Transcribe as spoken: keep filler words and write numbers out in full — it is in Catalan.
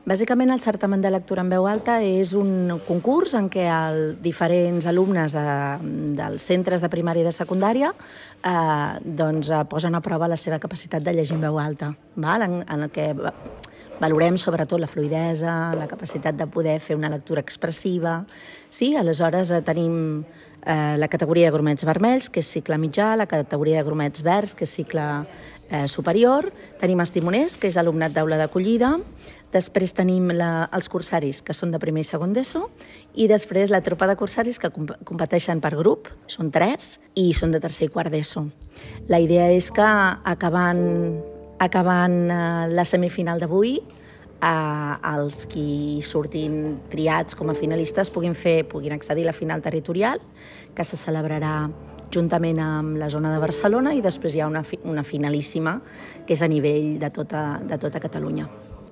Bàsicament, el certamen de lectura en veu alta és un concurs en què el, diferents alumnes de, dels centres de primària i de secundària eh, doncs, posen a prova la seva capacitat de llegir en veu alta, val? En, en el que valorem sobretot la fluïdesa, la capacitat de poder fer una lectura expressiva. Sí? Aleshores eh, tenim eh, la categoria de grumets vermells, que és cicle mitjà, la categoria de grumets verds, que és cicle eh, superior, tenim els timoners, que és alumnat d'aula d'acollida, després tenim la, els cursaris, que són de primer i segon d'ESO, i després la tropa de cursaris que comp competeixen per grup, són tres, i són de tercer i quart d'ESO. La idea és que acabant, acabant eh, la semifinal d'avui, eh, els qui surtin triats com a finalistes puguin, fer, puguin accedir a la final territorial, que se celebrarà juntament amb la zona de Barcelona, i després hi ha una, fi una finalíssima, que és a nivell de tota, de tota Catalunya.